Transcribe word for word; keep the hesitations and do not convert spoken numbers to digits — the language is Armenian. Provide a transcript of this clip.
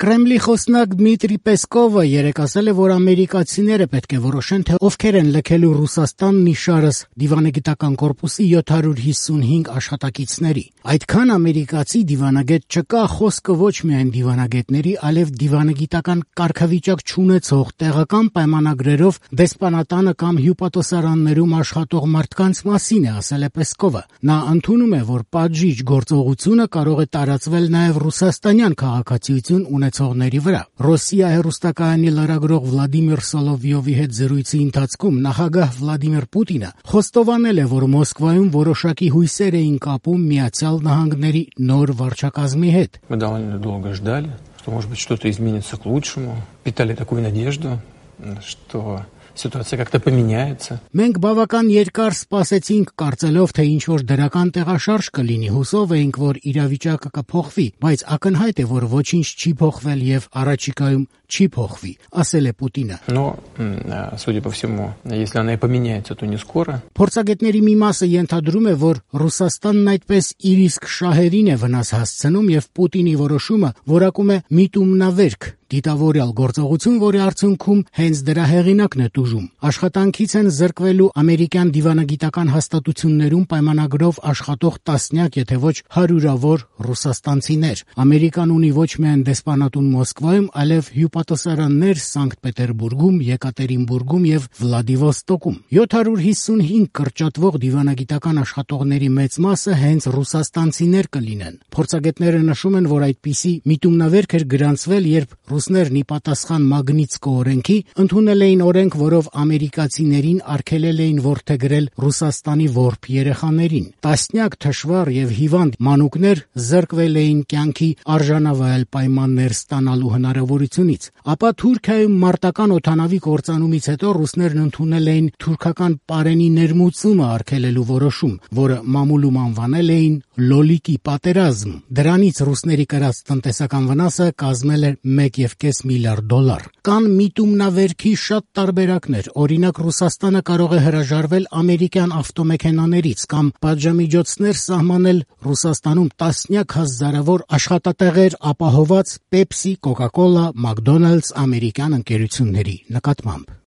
Կրեմլի խոսնակ Դմիտրի Պեսկովը երեկ ասել է, որ ամերիկացիները պետք է որոշեն, թե ովքեր են լքելու Ռուսաստանն իշարս դիվանագիտական կորպուսի յոթ հարյուր հիսունհինգ աշխատակիցների։ Այդքան ամերիկացի դիվանագետ չկա, խոսքը ոչ միայն դիվանագետների, այլև դիվանագիտական կարգավիճակ չունեցող տեղական պայմանագրերով դեսպանատանը կամ հյուպատոսարաններում աշխատող մարդկանց մասին է, ասել է Պեսկովը։ Նա ընդունում է, որ պատժիչ գործողությունը կարող է տարածվել նաև ռուսաստանյան քաղաքացիություն ունեցողների վրա։ Ռոսիա հեռուստակայանի լրագրող Վլադիմիր Սոլովյովի հետ զրույցի ընթացքում նախագահ Վլադիմիր Պուտինը խոստովանել է, որ Մոսկվայում որոշակի հույսեր էին կապում Միացյալ Նահանգների նոր վարչակազմի հետ։ Мы довольно долго ждали, что, может быть, что-то изменится к лучшему. Питали такую надежду, что ситуация как-то поменяется. Մենք բավական երկար սպասեցինք, կարծելով, թե ինչ-որ դրական տեղաշարժ կլինի, հուսով էինք, որ իրավիճակը կփոխվի, բայց ակնհայտ է, որ ոչինչ չի փոխվել եւ առաջիկայում չի փոխվի, ասել է Պուտինը։ Но, судя по всему, если она и поменяется, то не скоро. Փորձագետների մի մասը ենթադրում է, որ Ռուսաստանն այդպես իր իսկ շահերին է վնաս հասցնում եւ Պուտինի որոշումը որակում է միտումնավերք, դիտավորյալ գործողություն, որի արդյունքում հենց դրա հեղինակն է տուժում։ Աշխատանքից են զրկվելու ամերիկյան դիվանագիտական հաստատություններում պայմանագրով աշխատող տասնյակ, եթե ոչ հարյուրավոր ռուսաստանցիներ։ Ամերիկան ունի ոչ միայն դեսպանատուն Մոսկվայում, այլև հյուպատոսարաններ Սանկտ Պետերբուրգում, Եկատերինբուրգում եւ Վլադիվոստոկում։ յոթ հարյուր հիսունհինգ կրճատվող դիվանագիտական աշխատողների մեծ մասը հենց ռուսաստանցիներ կլինեն։ Փորձագետները նշում են, որ այդպիսի միտումնավերք էր գրանցվել, երբ ռուսներն ի պատասխան Մագնիտսկո օրենքի ընդունել էին օրենք, որով ամերիկացիներին արգելել էին որդեգրել Ռուսաստանի որբ երեխաներին։ Տասնյակ թշվառ եւ հիվանդ մանուկներ զրկվել էին կյանքի արժանավայել պայմաններ ստանալու հնարավորությունից։ Ապա Թուրքիայում մարտական օդանավի կործանումից հետո ռուսներն ընդունել էին թուրքական պարենի ներմուծումը արգելելու որոշում, որը մամուլում անվանել էին Լոլիկի պատերազմ։ Դրանից ռուսների կրած տնտեսական վնասը կազմել էր մեկ եւ կես միլիարդ դոլար։ Կան միտումնավերքի շատ տարբերակներ։ Օրինակ, Ռուսաստանը կարող է հրաժարվել ամերիկյան ավտոմեքենաներից կամ պատժամիջոցներ սահմանել Ռուսաստանում տասնյակ հազարավոր աշխատատեղեր ապահոված Pepsi, Coca-Cola, McDonald's ամերիկյան ընկերությունների նկատմամբ։